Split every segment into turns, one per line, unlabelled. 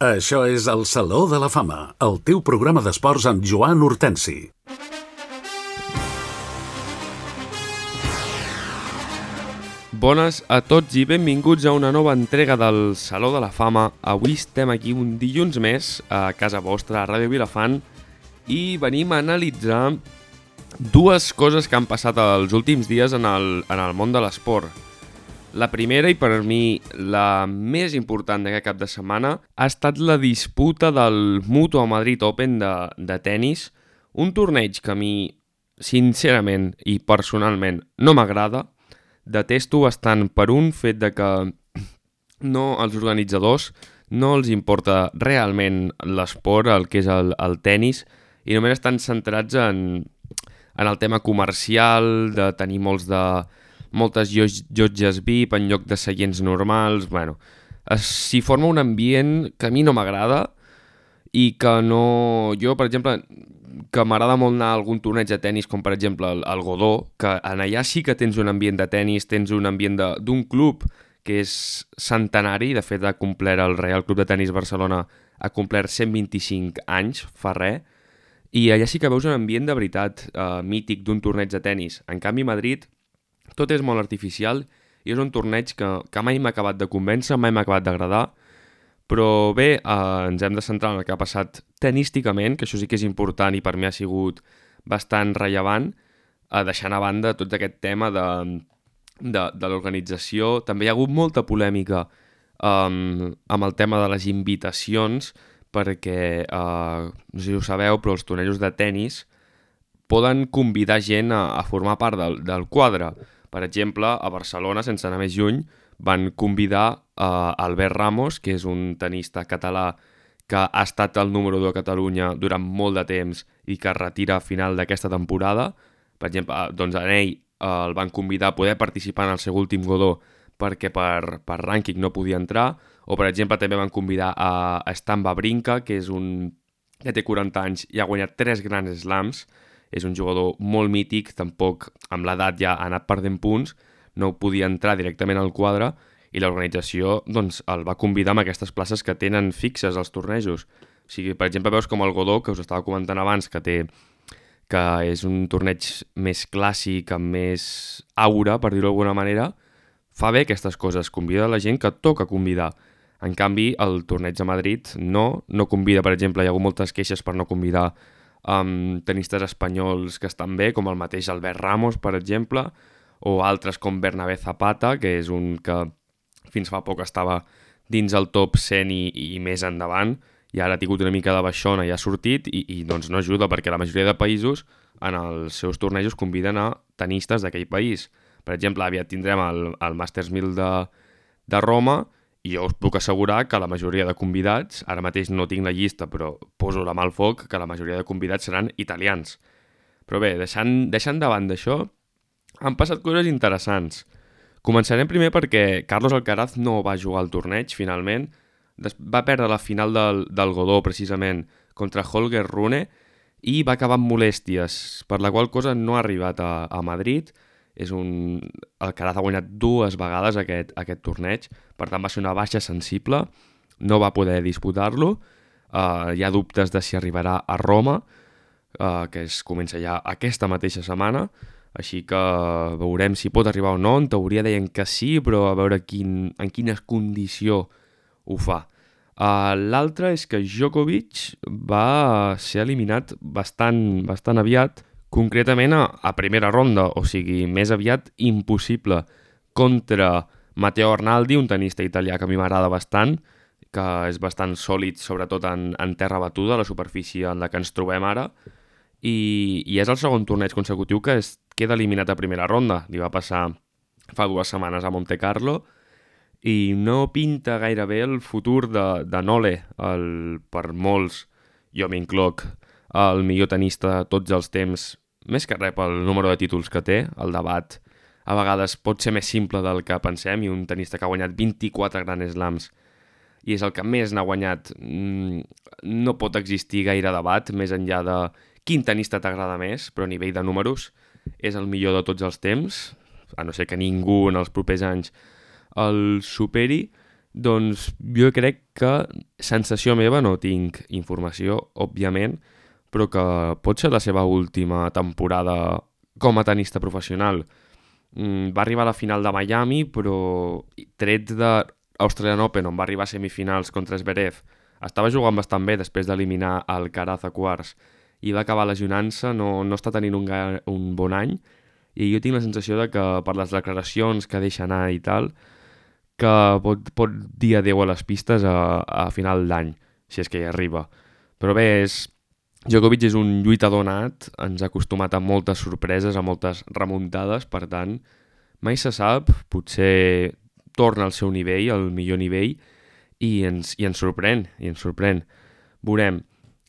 Això és el Saló de la Fama, el teu programa d'esports amb Joan Hortensi.
Bones a tots i benvinguts a una nova entrega del Saló de la Fama. Avui estem aquí un dilluns més a casa vostra, a Ràdio Vilafant, i venim a analitzar dues coses que han passat els últims dies en el món de l'esport. La primera, i per mi la més important d'aquest cap de setmana, ha estat la disputa del Mutua Madrid Open de tennis, un torneig que a mi, sincerament i personalment, no m'agrada. Detesto bastant per un fet de que als organitzadors no els importa realment l'esport, el que és el tennis, i només estan centrats en el tema comercial, de tenir moltes llotges VIP en lloc de seients normals. Bueno, s'hi forma un ambient que a mi no m'agrada i que no... Jo, per exemple, que m'agrada molt anar a algun torneig de tennis, com per exemple el Godó, que en allà sí que tens un ambient de tennis, tens un ambient d'un club que és centenari. De fet, ha complert el Reial Club de Tenis Barcelona, ha complert 125 anys, fa res, i allà sí que veus un ambient de veritat mític d'un torneig de tennis. En canvi, a Madrid tot és molt artificial i és un torneig que mai m'ha acabat de convèncer, mai m'ha acabat d'agradar. Però bé, ens hem de centrar en el que ha passat tenísticament, que això sí que és important i per mi ha sigut bastant rellevant, deixant a banda tot aquest tema de l'organització. També hi ha hagut molta polèmica amb el tema de les invitacions, perquè, no sé si ho sabeu, però els tornejos de tennis poden convidar gent a formar part del quadre. Per exemple, a Barcelona, sense anar més lluny, van convidar Albert Ramos, que és un tenista català que ha estat el número 2 a Catalunya durant molt de temps i que es retira a final d'aquesta temporada. Per exemple, doncs a ell el van convidar a poder participar en el seu últim Godó perquè per rànquing no podia entrar. O, per exemple, també van convidar a Stan Wawrinka, que és que té 40 anys i ha guanyat 3 grans slams. És un jugador molt mític, tampoc amb l'edat ja ha anat perdent punts, no podia entrar directament al quadre i l'organització doncs, el va convidar amb aquestes places que tenen fixes als tornejos. O sigui, per exemple, veus com el Godó, que us estava comentant abans, que és un torneig més clàssic, amb més aura, per dir-ho d'alguna manera, fa bé aquestes coses, convida la gent que toca convidar. En canvi, el torneig de Madrid no convida, per exemple, hi ha hagut moltes queixes per no convidar tenistes espanyols que estan bé, com el mateix Albert Ramos, per exemple, o altres com Bernabé Zapata, que és un que fins fa poc estava dins el top 100 i més endavant, i ara ha tingut una mica de baixona i ha sortit, i doncs no ajuda, perquè la majoria de països en els seus tornejos conviden a tenistes d'aquell país. Per exemple, aviat tindrem el Masters 1000 de Roma, i jo us puc assegurar que la majoria de convidats, ara mateix no tinc la llista, però poso la mà al foc, que la majoria de convidats seran italians. Però bé, deixant de banda això, han passat coses interessants. Començarem primer perquè Carlos Alcaraz no va jugar al torneig, finalment. Va perdre la final del Godó, precisament, contra Holger Rune, i va acabar amb molèsties, per la qual cosa no ha arribat a Madrid. Alcaraz ha guanyat 2 vegades aquest torneig, per tant va ser una baixa sensible, no va poder disputar-lo. Hi ha dubtes de si arribarà a Roma, que comença ja aquesta mateixa setmana, així que veurem si pot arribar o no. En teoria deien que sí, però a veure en quina condició ho fa. L'altre és que Djokovic va ser eliminat bastant aviat, concretament a primera ronda, o sigui, més aviat impossible, contra Matteo Arnaldi, un tenista italià que a mi m'agrada bastant, que és bastant sòlid, sobretot en terra batuda, la superfície en la que ens trobem ara, i és el segon torneig consecutiu que queda eliminat a primera ronda. Li va passar fa 2 setmanes a Monte Carlo, i no pinta gaire bé el futur de Nole, per molts, jo m'incloc, el millor tenista de tots els temps, més que res pel número de títols que té. El debat a vegades pot ser més simple del que pensem, i un tenista que ha guanyat 24 grans slams i és el que més n'ha guanyat, no pot existir gaire debat més enllà de quin tenista t'agrada més, però a nivell de números és el millor de tots els temps, a no ser que ningú en els propers anys el superi. Doncs jo crec que sensació meva, no tinc informació, òbviament, però que pot ser la seva última temporada com a tenista professional. Va arribar a la final de Miami, però tret de Australian Open, on va arribar a semifinals contra Zverev, estava jugant bastant bé després d'eliminar el Alcaraz a quarts i va acabar lesionant-se, no està tenint un bon any, i jo tinc la sensació de que per les declaracions que deixa anar i tal, que pot dir adeu a les pistes a final d'any, si és que hi arriba. Però bé, Djokovic és un lluitador nat, ens ha acostumat a moltes sorpreses, a moltes remuntades, per tant, mai se sap, potser torna al seu nivell, al millor nivell, i ens sorprèn, Veurem.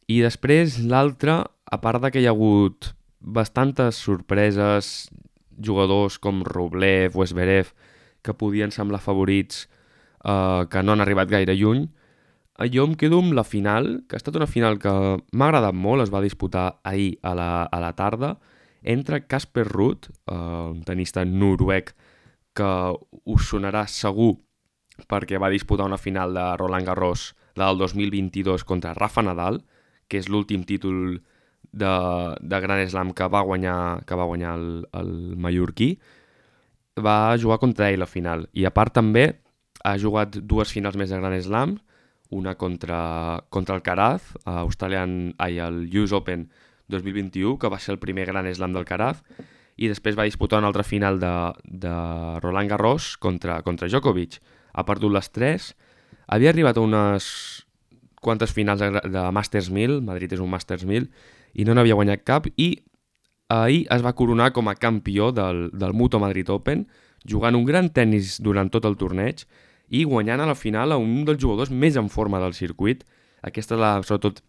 I després l'altre, a part de que hi ha hagut bastantes sorpreses, jugadors com Rublev o Zverev, que podien semblar favorits, que no han arribat gaire lluny, jo em quedo amb la final, que ha estat una final que m'ha agradat molt, es va disputar ahir a la tarda, entre Casper Ruud, un tenista noruec que us sonarà segur perquè va disputar una final de Roland Garros, la del 2022, contra Rafa Nadal, que és l'últim títol de Grand Slam que va guanyar el mallorquí. Va jugar contra ell la final. I a part també ha jugat dues finals més de Grand Slam, una contra Alcaraz, al US Open 2021, que va ser el primer Grand Slam d'Alcaraz, i després va disputar una altra final de Roland Garros contra Djokovic. Ha perdut les 3, havia arribat a unes quantes finals de Masters 1000, Madrid és un Masters 1000, i no n'havia guanyat cap, i ahir es va coronar com a campió del Mutua Madrid Open, jugant un gran tennis durant tot el torneig i guanyant a la final a un dels jugadors més en forma del circuit. Aquesta és sobretot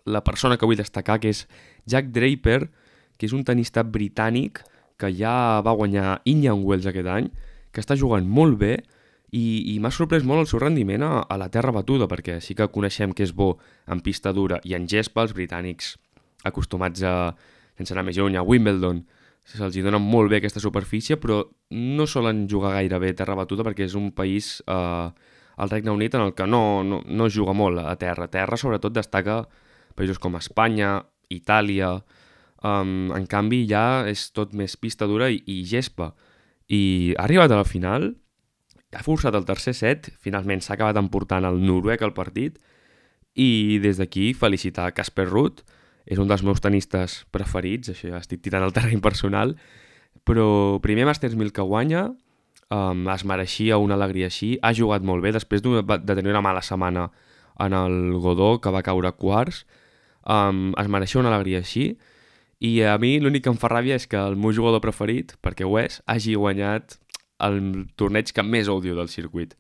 la persona que vull destacar, que és Jack Draper, que és un tenista britànic que ja va guanyar Indian Wells aquest any, que està jugant molt bé, i m'ha sorprès molt el seu rendiment a la terra batuda, perquè sí que coneixem que és bo en pista dura i en gespa, els britànics acostumats sense anar més lluny, a Wimbledon, se'ls dona molt bé aquesta superfície, però no solen jugar gaire bé a terra batuda perquè és un país, el Regne Unit, en el que no juga molt a terra. A terra sobretot destaca països com Espanya, Itàlia, en canvi ja és tot més pista dura i gespa. I ha arribat a la final, ha forçat el tercer set, finalment s'ha acabat emportant el noruec al partit, i des d'aquí felicitar Casper Ruud, és un dels meus tenistes preferits, això ja estic tirant al terreny personal, però primer Masters 1000 que guanya, es mereixia una alegria així, ha jugat molt bé, després de tenir una mala setmana en el Godó, que va caure a quarts, es mereixia una alegria així, i a mi l'únic que em fa ràbia és que el meu jugador preferit, perquè ho és, hagi guanyat el torneig que més odio del circuit.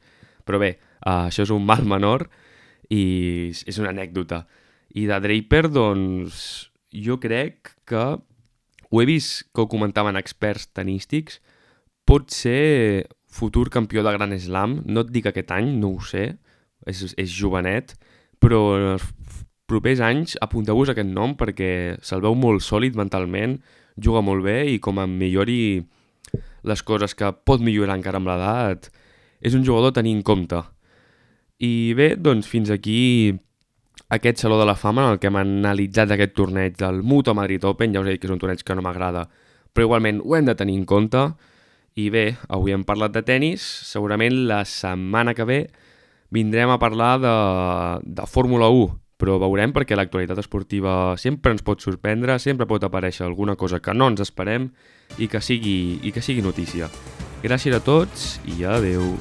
Però bé, això és un mal menor i és una anècdota. I de Draper, doncs, jo crec que ho he vist que ho comentaven experts tenístics, pot ser futur campió de Grand Slam, no et dic aquest any, no ho sé, és jovenet, però en els propers anys apunteu-vos aquest nom perquè se'l veu molt sòlid mentalment, juga molt bé i com em millori les coses que pot millorar encara amb l'edat, és un jugador a tenir en compte. I bé, doncs fins aquí aquest Saló de la Fama en el que hem analitzat aquest torneig del Mutua Madrid Open. Ja us he dit que és un torneig que no m'agrada, però igualment ho hem de tenir en compte. I bé, avui hem parlat de tennis, segurament la setmana que ve vindrem a parlar de Fórmula 1, però veurem perquè l'actualitat esportiva sempre ens pot sorprendre, sempre pot aparèixer alguna cosa que no ens esperem i que sigui notícia. Gràcies a tots i adeu.